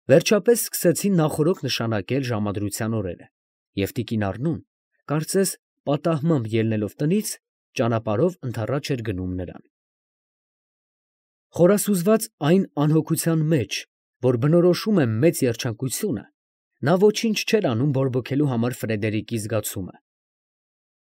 Վերջապես սկսեցին նախօրոք նշանակել ժամադրության օրերը, և տիկին Առնուն, կարծես պատահմամբ ելնելով տնից, ճանապարհով ընդառաջ էր գնում նրան։ Խորասուզված այն անհոգության մեջ, որ բնորոշում է մեծ երջանկությունը, նա ոչինչ չէր անում բորբոքելու համար Ֆրեդերիկի զգացումը։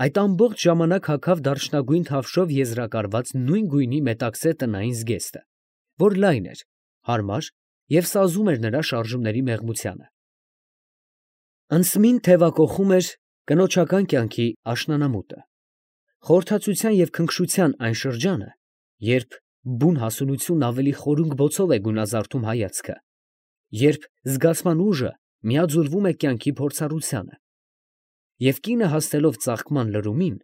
Այդ ամբողջ ժամանակ հագավ դարչնագույն թավշով եզրակարված նույն գույնի մետաքսե տնային զգեստը, որ լայն էր, հարմար և սազում էր նրա շարժումների մեղմությանը։ Անցմին թևակոխում էր կնոջական կյանքի աշնանամուտը, խորհրդածության և քնքշության այն շրջանը, երբ բուն հասունությունն ավելի խորունկ բոցով է գունազարդում հայացքը, երբ զգացման ուժը միաձուլվում է կյանքի փորձառությանը, և կինը հասնելով ծաղկման լրումին,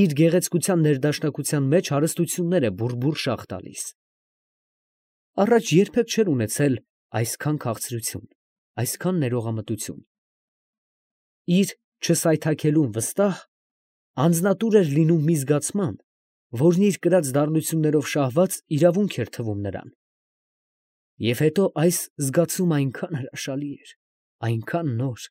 իր գեղեցկության ներդաշնակության մեջ հարստություններ է բուռ շաղ տալիս։ Առաջ երբեք չէր ունեցել այսքան քաղցրություն, այսքան ներողամտություն։ Իր չսայթաքելուն վստահ, անձնատուր էր լինում մի զգացման, որն իր կրած դառնություններով շահված իրավունք էր թվում նրան։ Եվ հետո այս զգացումը այնքան հրաշալի էր, այնքան նոր…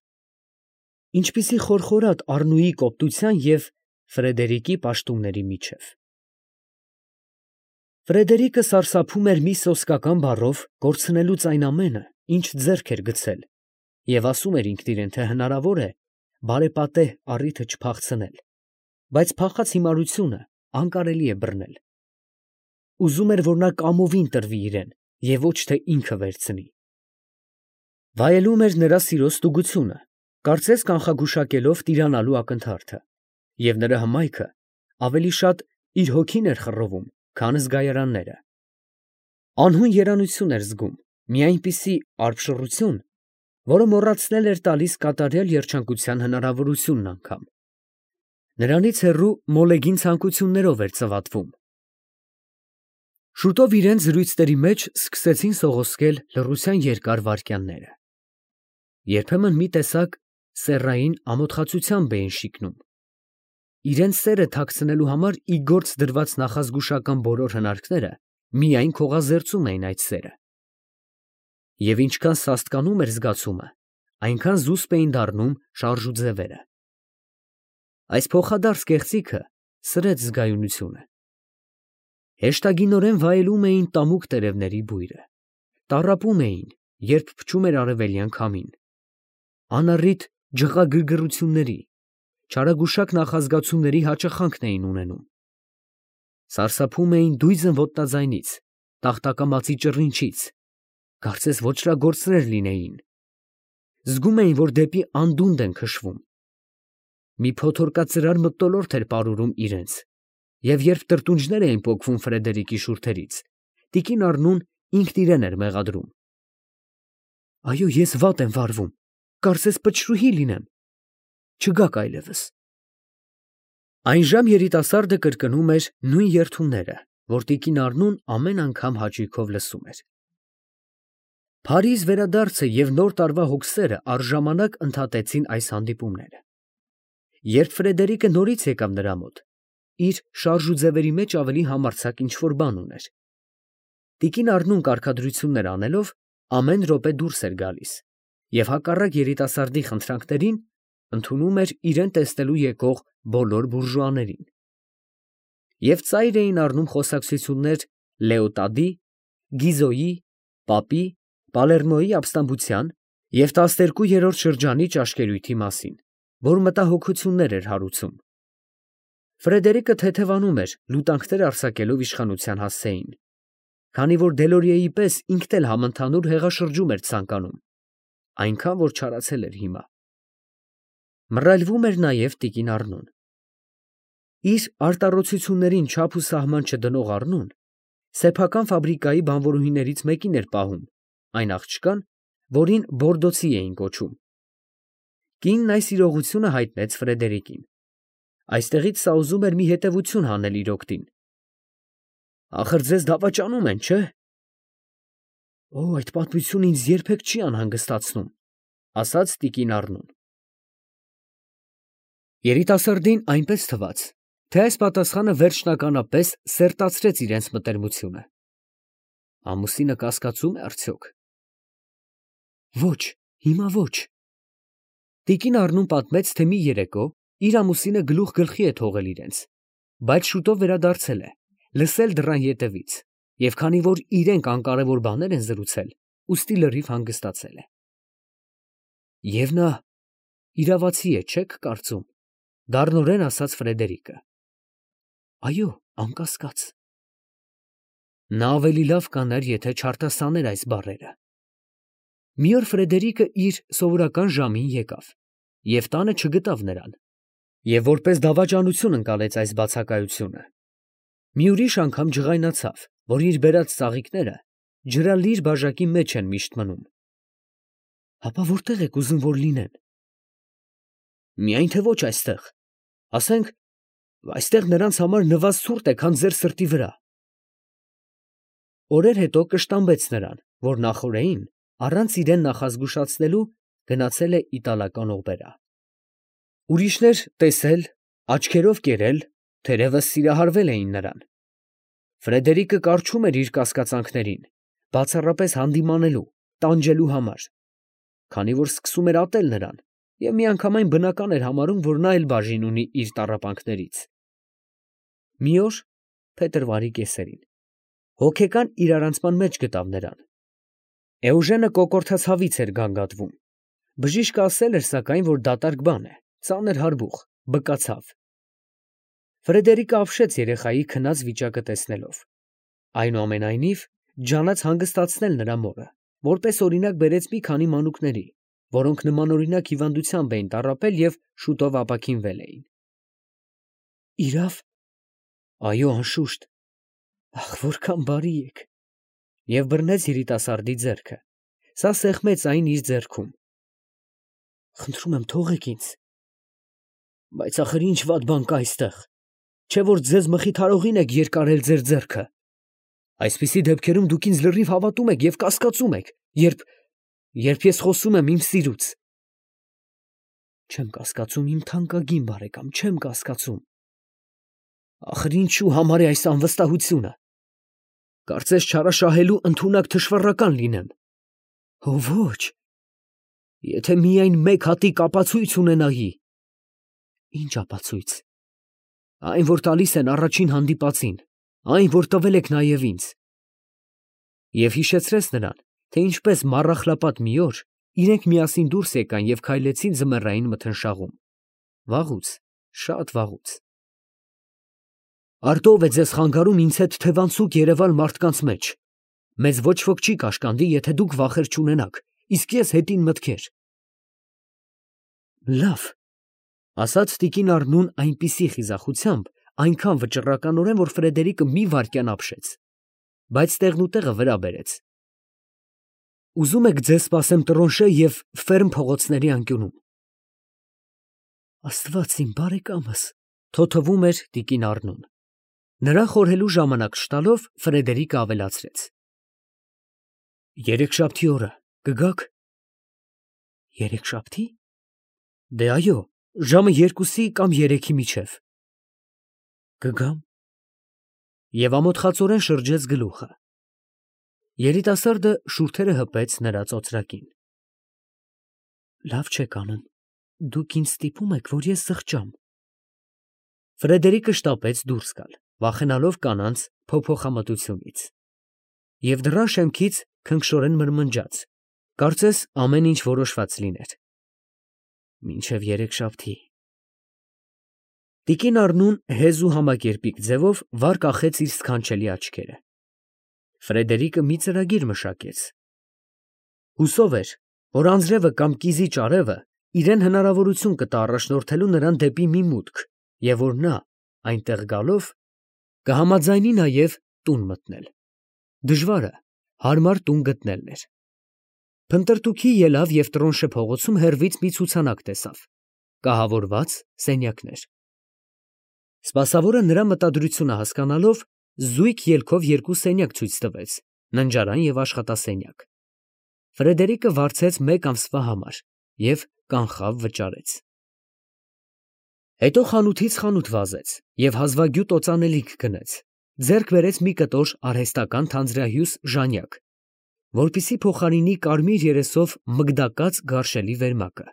ինչպիսի խորխորատ Առնուի կոպտության և Ֆրեդերիկի պաշտումների միջև… Ֆրեդերիկը սարսափում էր մի սոսկական բառով կորցնելուց այն ամենը, ինչ ձեռք էր գցել, և ասում էր ինքն իրան, թե հնարավոր է բարեպատե առիթը չփախցնել, բայց փախած հիմարությունը անկարելի է բռնել։ Ուզում էր, որ նա կամովին տրվի իրան և ոչ թե ինքը վերցնի։ Վայելում էր նրա սիրո ստուգությունը, կարծես կանխագուշակելով տիրանալու ակնթարթը, և նրա հմայքը ավելի շատ իր հոգին էր խռովում, քան զգայարանները։ Անհուն երանություն էր զգում, մի այնպիսի արբշռություն, որը մոռացնել էր տալիս կատարյալ երջանկության հնարավորությունն անգամ։ Նրանից հեռու մոլեգին ցանկություններով էր ծվատվում։ Շուտով իրենց զրույցների մեջ սկսեցին սողոսկել լռության երկար վայրկյանները։ Երբեմն մի տեսակ սեռային ամոթխածությամբ էին շիկնում։ Իրենց սերը թաքցնելու համար ի գործ դրված նախազգուշական բոլոր հնարքները միայն քողազերծում էին այդ սերը։ Եվ ինչքան սաստկանում էր զգացումը, այնքան զուսպ էին դառնում շարժուձևերը։ Այս փոխադարձ կեղծիքը սրեց զգայունությունը։ Հեշտագինորեն վայելում էին տամուկ տերևների բույրը, տառապում էին, երբ փչում էր արևելյան քամին, անառիթ ջղագրգռությունների, չարագուշակ նախազգացումների հաճախանքն էին ունենում։ Սարսափում էին դույզն ոտնաձայնից, տախտակամածի ճռինչից, կարծես ոճրագործներ լինեին։ Զգում էին, որ դեպի անդունդն են քշվում։ Մի փոթորկածրար մթնոլորտ էր պարուրում իրենց, և երբ տրտունջներ էին պոկվում Ֆրեդերիկի շուրթերից, տիկին Առնուն ինքն իրան էր մեղադրում. «Այո, ես վատ եմ վարվում, կարծես պչրուհի լինեմ, չգաք այլևս»։ Այն ժամ երիտասարդը կրկնում էր նույն երդումները, որ տիկին Առնուն ամեն անգամ հաճույքով լսում էր։ Փարիզ վերադարձը և նոր տարվա հոգսերը առժամանակ ընդհատեցին այս հանդիպումները։ Երբ Ֆրեդերիկը նորից եկավ նրա մոտ, իր շարժուձևերի մեջ ավելի համարձակ ինչ֊որ բան ուներ։ Տիկին Առնուն կարգադրություններ անելով, ամեն րոպե դուրս էր գալիս և հակառակ երիտասարդի խնդրանքներին ընդունում էր իրան տեսնելու եկող բոլոր բուրժուաներին։ Եվ ծայր էին առնում խոսակցություններ Լեոտադի, Գիզոյի, պապի, Պալերմոյի ապստամբության և 12-րդ շրջանի ճաշկերույթի մասին, որ մտահոգություններ էր հարուցում։ Ֆրեդերիկը թեթևանում էր լուտանքներ արձակելով իշխանության հասցեին, քանի որ Դելորիեի պես ինքն էլ համընդհանուր հեղաշրջում էր ցանկանում, այնքան որ չարացել էր հիմա։ Մռայլվում էր նաև տիկին Առնուն։ Իր արտառոցություններին չափ ու սահման չդնող Առնուն սեփական ֆաբրիկայի բանվորուհիներից մեկին էր պահում, այն աղջկան, որին Բորդոցի էին կոչում։ Կինն այս իրողությունը հայտնեց Ֆրեդերիկին։ Այստեղից սա ուզում էր մի հետևություն հանել իր օգտին։ «Ախր ձեզ դավաճանում են, չէ՞։ Օ, այդ պատմությունը ինձ երբեք չի անհանգստացնում», ֊ ասաց տիկին Առնուն։ Երիտասարդին այնպես թվաց, թե այս պատասխանը վերջնականապես սերտացրեց իրենց մտերմությունը։ Ամուսինը կասկածո՞ւմ է արդյոք։ Ոչ, հիմա ոչ։ Տիկին Առնուն պատմեց, թե մի երեկո իր ամուսինը գլուխ գլխի է թողել իրենց, բայց շուտով վերադարձել է, լսել դռան ետևից, և քանի որ իրենք անկարևոր բաներ են զրուցել, ուստի լրիվ հանգստացել է։ Եվ նա իրավացի է, չեք կարծում, դառնորեն ասաց Ֆրեդերիկը։ Այո, անկասկած։ Նա ավելի լավ կաներ, եթե չարտասաներ այս բառերը։ Մի օր Ֆրեդերիկը իր սովորական ժամին եկավ և տանը չգտավ նրան, և որպես դավաճանություն ընկալեց այս բացակայությունը։ Մի ուրիշ անգամ ջղայնացավ, որ իր բերած ծաղիկները ջրալիր բաժակի մեջ են միշտ մնում։ Հապա որտե՞ղ եք ուզում, որ լինեն։ Միայն թե ոչ այստեղ, ասենք, այստեղ նրանց համար նվազ ցուրտ է, քան ձեր սրտի վրա։ Օրեր հետո կշտամբեց նրան, որ նախօրեին, առանց իրեն նախազգուշացնելու, գնացել է իտալական օպերա։ Ուրիշներ տեսել, աչքերով կերել, թերևս սիրահարվել էին նրան։ Ֆրեդերիկը կառչում էր իր կասկածանքներին, բացառապես հանդիմանելու, տանջելու համար, քանի որ սկսում էր ատել նրան, և միանգամայն բնական էր համարում, որ նա էլ բաժին ունի իր տառապանքներից։ Մի օր, փետրվարի կեսերին, հոգեկան իրարանցման մեջ գտավ նրան։ Էուժենը կոկորդացավից էր գանգատվում։ Բժիշկը ասել էր, սակայն, որ դատարկ բան է, ծանր հարբուխ, բկացավ։ Ֆրեդերիկը ապշեց երեխայի քնած վիճակը տեսնելով։ Այնուամենայնիվ, ջանաց հանգստացնել նրա մորը, որպես օրինակ բերեց մի քանի մանուկների, որոնք նմանօրինակ հիվանդությամբ էին տառապել և շուտով ապաքինվել էին։ Իրավ։ Այո, անշուշտ։ Ախ, որքան բարի եք։ Եվ բռնեց երիտասարդի ձեռքը։ Սա սեղմեց այն իր ձեռքում։ Խնդրում եմ, թողեք ինձ։ Բայց ախր ինչ վատ բան կա այստեղ, չէ՞ որ ձեզ մխիթարողին եք երկարել ձեր ձեռքը։ Այսպիսի դեպքերում դուք ինձ լրիվ հավատում եք և կասկածում եք, երբ ես խոսում եմ իմ սիրուց։ Չեմ կասկածում, իմ թանկագին բարեկամ, չեմ կասկածում։ Ախր ինչու համար է այս անվստահությունը։ Կարծես չարաշահելու ընդունակ թշվառական լինեմ։ Օ ոչ։ Եթե միայն մեկ հատիկ ապացույց ունենայի։ Ինչ ապացույց։ Այն, որ տալիս են առաջին հանդիպածին, այն, որ տվել եք նաև ինձ։ Եվ հիշեցրեց նրան, թե ինչպես մառախլապատ մի օր իրենք միասին դուրս եկան և քայլեցին ձմեռային մթնշաղում։ Վաղուց, շատ վաղուց։ Արդ ո՞վ է ձեզ խանգարում ինձ հետ թևանցուկ երևալ մարդկանց մեջ։ Մեզ ոչ ոք չի կաշկանդի, եթե դուք վախեր չունենաք, իսկ ես հետին մտքեր։ Լավ, ասաց տիկին Առնուն այնպիսի խիզախությամբ, այնքան վճռականորեն, որ Ֆրեդերիկը մի վայրկյան ապշեց, բայց տեղնուտեղը վրա բերեց։ Ուզում եք ձեզ սպասեմ Տրոնշե և Ֆերմ փողոցների անկյունում։ Աստված իմ բարեկամս, թոթվում էր տիկին Առնուն։ Նրան խորհելու ժամանակ չտալով, Ֆրեդերիկը ավելացրեց. Երեքշաբթի օրը կգաք։ Երեքշաբթի։ Դե այո, ժամը 2-ի կամ 3-ի միջև։ Կգամ։ Եվ ամոթխածորեն շրջեց գլուխը։ Երիտասարդը շուրթերը հպեց նրա ծոծրակին։ Լավ չեք անում։ Դուք ինձ ստիպում եք, որ ես զղջամ։ Ֆրեդերիկը շտապեց դուրս գալ, վախենալով կանանց փոփոխամտությունից։ Եվ դռան շեմքից քնքշորեն մրմնջաց, կարծես ամեն ինչ որոշված լիներ։ Մինչև երեքշաբթի։ Տիկին Առնուն հեզ ու համակերպիկ ձևով վար կախեց իր սքանչելի աչքերը։ Ֆրեդերիկը մի ծրագիր մշակեց։ Հուսով էր, որ անձրևը կամ կիզի ճարևը իրեն հնարավորություն կտա առաջնորդելու նրան դեպի մի մուտք, և որ նա, այնտեղ գալով, կհամաձայնի նաև տուն մտնել։ Դժվարը հարմար տուն գտնելն էր։ Փնտրտուքի ելավ և Տրոնշե փողոցում հեռվից մի ցուցանակ տեսավ, կահավորված սենյակներ։ Սպասավորը նրա մտադրությունը հասկանալով, զույգ ելքով երկու սենյակ ցույց տվեց, ննջարան և աշխատասենյակ։ Ֆրեդերիկը վարձեց մեկ ամսվա համար և կանխավ վճարեց։ Հետո խանութից խանութ վազեց և հազվագյուտ օծանելիք գնեց, ձեռք բերեց մի կտոր արհեստական թանձրահյուս ժանյակ, որպիսի փոխարինի կարմիր երեսով մգդակած գարշելի վերմակը,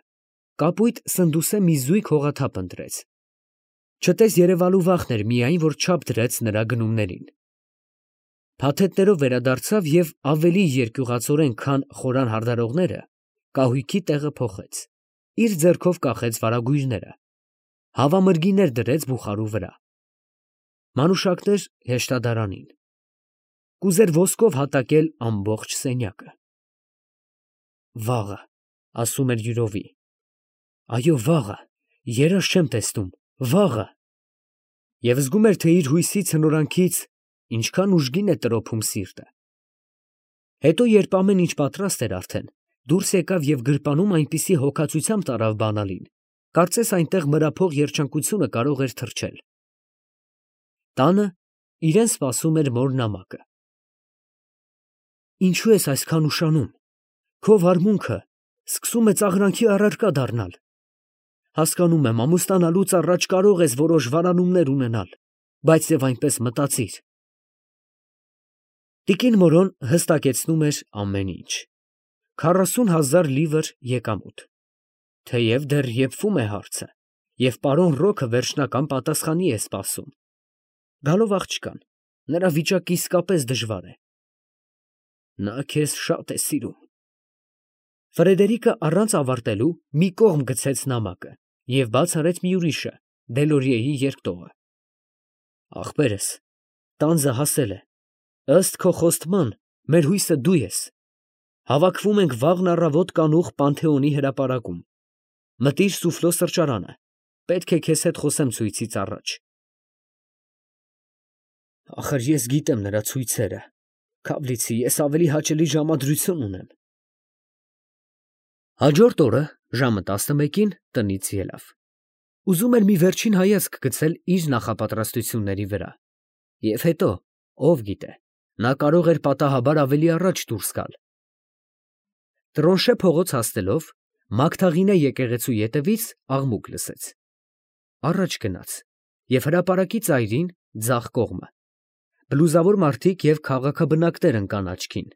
կապույտ սնդուսե մի զույգ հողաթափ ընտրեց, չտես երևալու վախն էր միայն, որ չափ դրեց նրա գնումներին, փաթեթներով վերադարձավ և ավելի երկյուղածորեն, քան խորան հարդարողները, կահույքի տեղը փոխեց, իր ձեռքով կախեց վարագույրները, հավամրգիներ դրեց բուխարու վրա, մանուշակներ հեշտադարանին, կուզեր ոսկով հատակել ամբողջ սենյակը։ Վաղը, ասում էր յուրովի, այո, վաղը, երազ չեմ տեսնում, վաղը, և զգում էր, թե իր հույսի ցնորանքից ինչքան ուժգին է տրոփում սիրտը։ Հետո, երբ ամեն ինչ պատրաստ էր արդեն, դուրս եկավ և գրպանում այնպիսի հոգածությամբ տարավ բանալին, կարծես այնտեղ մրափող երջանկությունը կարող էր թռչել։ Տանը իրեն սպասում էր մոր նամակը։ Ինչու ես այսքան ուշանում, քո վարմունքը սկսում է ծաղրանքի առարկա դառնալ։ Հասկանում եմ, ամուսնանալուց առաջ կարող ես որոշ վարանումներ ունենալ, բայց և այնպես մտածիր։ Տիկին Մորոն հստակեցնում էր ամեն ինչ։ 40,000 լիվր եկամուտ։ Թեև դեռ եփվում է հարցը, և պարոն Ռոքը վերջնական պատասխանի է սպասում։ Գալով աղջկան, նրա վիճակը իսկապես դժվար է։ Նա քեզ շատ է սիրում։ Ֆրեդերիկը առանց ավարտելու մի կողմ գցեց նամակը և բաց արեց մի ուրիշը, Դելորիեի երկտողը։ Ախպերս, տանձը հասել է։ Ըստ քո խոստման, մեր հույսը դու ես։ Հավաքվում ենք վաղն առավոտ կանուխ Պանթեոնի հրապարակում։ Մտիր սուֆլո սրճարանը։ Պետք է քեզ հետ խոսեմ ցույցից առաջ։ Ախր ես գիտեմ նրա ցույցերը։ Քավլիցի, ես ավելի հաճելի ժամադրություն ունեմ։ Հաջորդ օրը ժամը 11-ին տնից ելավ։ Ուզում էր մի վերջին հայացք գցել իր նախապատրաստությունների վրա։ Եվ հետո, ով գիտե, նա կարող էր պատահաբար ավելի առաջ դուրս գալ։ Տրոնշե փողոց հասնելով, Մագդաղինե եկեղեցու ետևից աղմուկ լսեց։ Առաջ գնաց և հրապարակի ծայրին ձախ կողմը։ Բլուզավոր մարդիկ և քաղաքաբնակներ ընկան աչքին։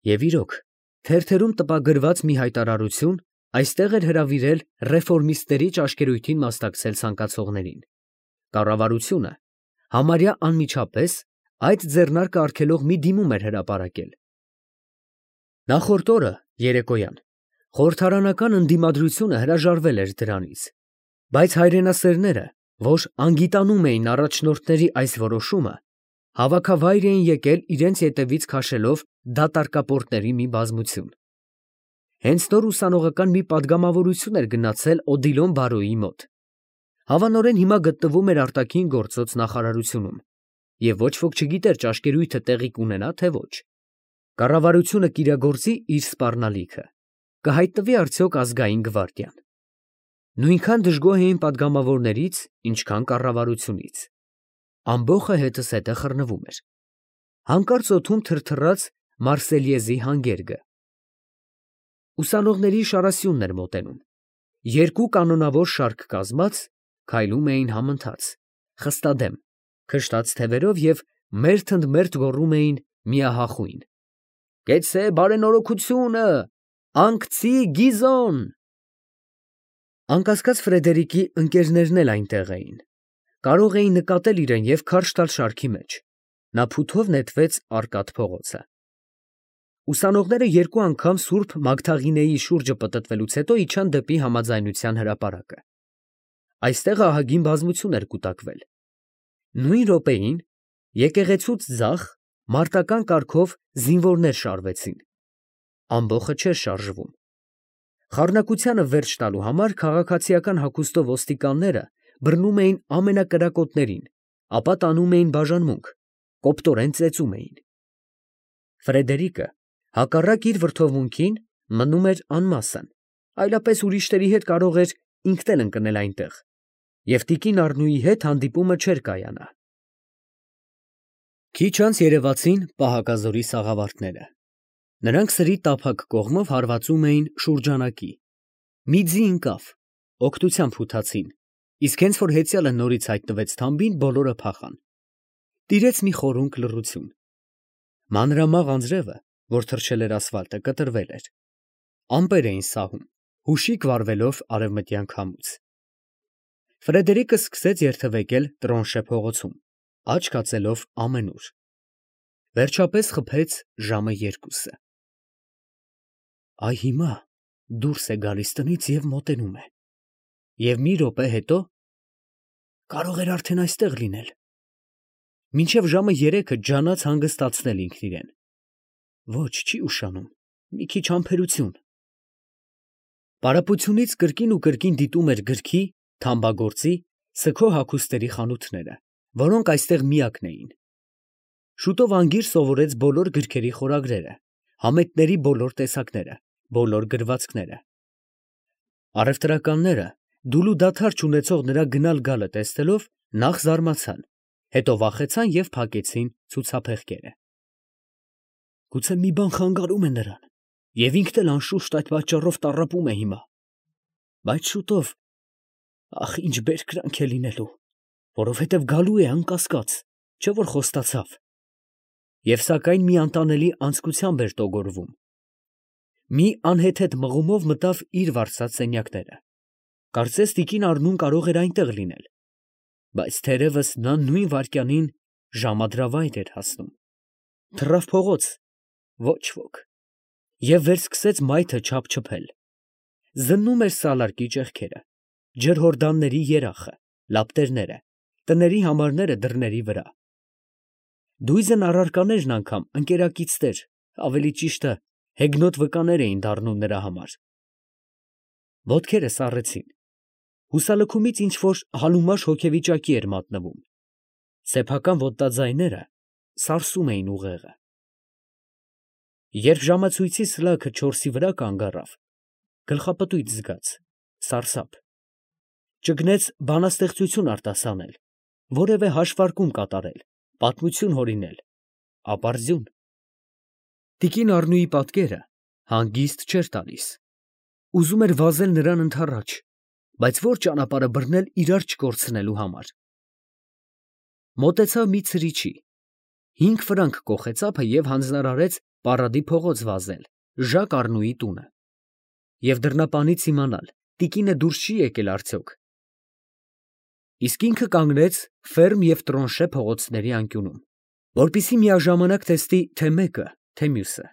Եվ իրոք, թերթերում տպագրված մի հայտարարություն այստեղ էր հրավիրել ռեֆորմիստների ճաշկերույթին մասնակցել ցանկացողներին։ Կառավարությունը համարյա անմիջապես այդ ձեռնարկը արգելող մի դիմում էր հրապարակել։ Նախորդ օրը, երեկոյան, խորհրդարանական ընդդիմադրությունը հրաժարվել էր դրանից, բայց հայրենասերները, որ անգիտանում էին առաջնորդների այս որոշումը, հավաքավայր էին եկել իրենց ետևից քաշելով դատարկապորտների մի բազմություն։ Հենց նոր ուսանողական մի պատգամավորություն էր գնացել Օդիլոն բարոյի մոտ։ Հավանորեն հիմա գտնվում էր արտաքին գործոց նախարարությունում, և ոչ ոք չգիտեր ճաշկերույթը տեղի կունենա, թե ոչ։ Կառավարությունը կիրագործի իր սպառնալիքը, կհայտնվի արդյոք ազգային գվարդիան։ Նույնքան դժգոհ էին պատգամավորներից, ինչքան կառավարությունից։ Ամբոխը հետզհետե խռնվում էր։ Հանկարծ օդում թրթռաց Մարսելյեզի հանգերգը։ Ուսանողների շարասյունն էր մոտենում։ Երկու կանոնավոր շարք կազմած, քայլում էին համընթաց, խստադեմ, քշտած թևերով և մերթ գոռում էին միահախույն. «Կեցցե բարենորոգությունը, անկցի Գիզոն»։ Անկասկած Ֆրեդերիկի ընկերներն էլ այնտեղ էին։ Կարող էին նկատել իրեն և քարշ տալ շարքի մեջ։ Նա փութով նետվեց Արկադ փողոցը։ Ուսանողները երկու անգամ Սուրբ Մագդաղինեի շուրջը պտտվելուց հետո իջան դեպի Համաձայնության հրապարակը։ Այստեղ ահագին բազմություն էր կուտակվել։ Նույն րոպեին եկեղեցուց ձախ մարտական կարգով զինվորներ շարվեցին։ Ամբոխը չէր շարժվում։ Խառնակությանը վերջ տալու համար քաղաքացիական հագուստով ոստիկանները բռնում էին ամենակրակոտներին, ապա տանում էին բաժանմունք, կոպտորեն ծեծում էին։ Ֆրեդերիկը, հակառակ իր վրդովմունքին, մնում էր անմասն, այլապես ուրիշների հետ կարող էր ինքն էլ ընկնել այնտեղ, և տիկին Առնուի հետ հանդիպումը չէր կայանա։ Քիչ անց երևացին պահակազորի սաղավարտները։ Նրանք սրի տափակ կողմով հարվածում էին շուրջանակի։ Մի ձի ընկավ, օգնության փութացին, իսկ հենց որ հեծյալը նորից հայտնվեց թամբին, բոլորը փախան։ Տիրեց մի խորունկ լռություն։ Մանրամաղ անձրևը որ թռչել էր ասֆալտը, կտրվել էր։ Ամպեր էին սահում, հուշիկ վառվելով արևմտյան քամուց։ Ֆրեդերիկը սկսեց երթևեկել Տրոնշե փողոցում, աչք հացելով ամենուր։ Վերջապես խփեց ժամը 2-ը։ Այ հիմա դուրս է գալիս տնից և մոտենում է։ Եվ մի րոպե հետո կարող էր արդեն այստեղ լինել։ Մինչև ժամը 3-ը ջանաց հանգստացնել ինքն իրեն։ Ոչ, չի ուշանում, մի քիչ համբերություն։ Պարապությունից կրկին ու կրկին դիտում էր գրքի, թամբագործի, սգո հագուստերի խանութները, որոնք այստեղ միակն էին։ Շուտով անգիր սովորեց բոլոր գրքերի խորագրերը, համեթների բոլոր տեսակները, բոլոր գրվածքները։ Առևտրականները դուլու դադար չունեցող նրա գնալ գալը տեսնելով նախ զարմացան, հետո վախեցան և փակեցին ցուցափեղկերը։ Գուցե մի բան խանգարում է նրան, և ինքն էլ անշուշտ այդ պատճառով տառապում է հիմա։ Բայց շուտով, ախ, ինչ բերկրանք է լինելու, որովհետև գալու է անկասկած, չէ՞ որ խոստացավ։ Եվ սակայն մի անտանելի անձկությամբ էր տոգորվում։ Մի անհեթեթ մղումով մտավ իր վարձած սենյակները։ Կարծես տիկին Առնուն կարող էր այնտեղ լինել, բայց թերևս նա նույն վայրկյանին ժամադրավայր էր հասնում։ Թռավ փողոց, ոչ ոք, և վերսկսեց մայթը չափչփել։ Զննում էր սալարկի ճեղքերը, ջրհորդանների երախը, լապտերները, տների համարները դռների վրա։ Դույզն առարկաներն անգամ ընկերակիցներ, ավելի ճիշտը հեգնոտ վկաներ էին դառնում նրա համար։ Ոտքերը սառեցին։ Հուսալքումից ինչ֊որ համեմաշ հոգեվիճակի էր մատնվում։ Սեփական ոտնաձայները սարսում էին ուղեղը։ Երբ ժամացույցի սլաքը 4-ի վրա կանգ առավ, գլխապտույտ զգաց, սարսափ։ Ճգնեց բանաստեղծություն արտասանել, որևէ հաշվարկում կատարել, պատմություն հորինել, ապարդյուն։ Տիկին Առնուի պատկերը հանգիստ չէր տալիս։ Ուզում էր վազել նրան ընդառաջ, բայց ո՞ր ճանապարհը բռնել իրար չկորցնելու համար։ Մոտեցավ մի ցրիչի, 5 ֆրանկ կոխեց ափը և հանձնարարեց Պարադի փողոց վազել Ժակ Առնուի տունը և դռնապանից իմանալ, տիկինը դուրս չի եկել արդյոք։ Իսկ ինքը կանգնեց Ֆերմ և Տրոնշե փողոցների անկյունում, որպեսզի միաժամանակ տեսնի թե մեկը, թե մյուսը։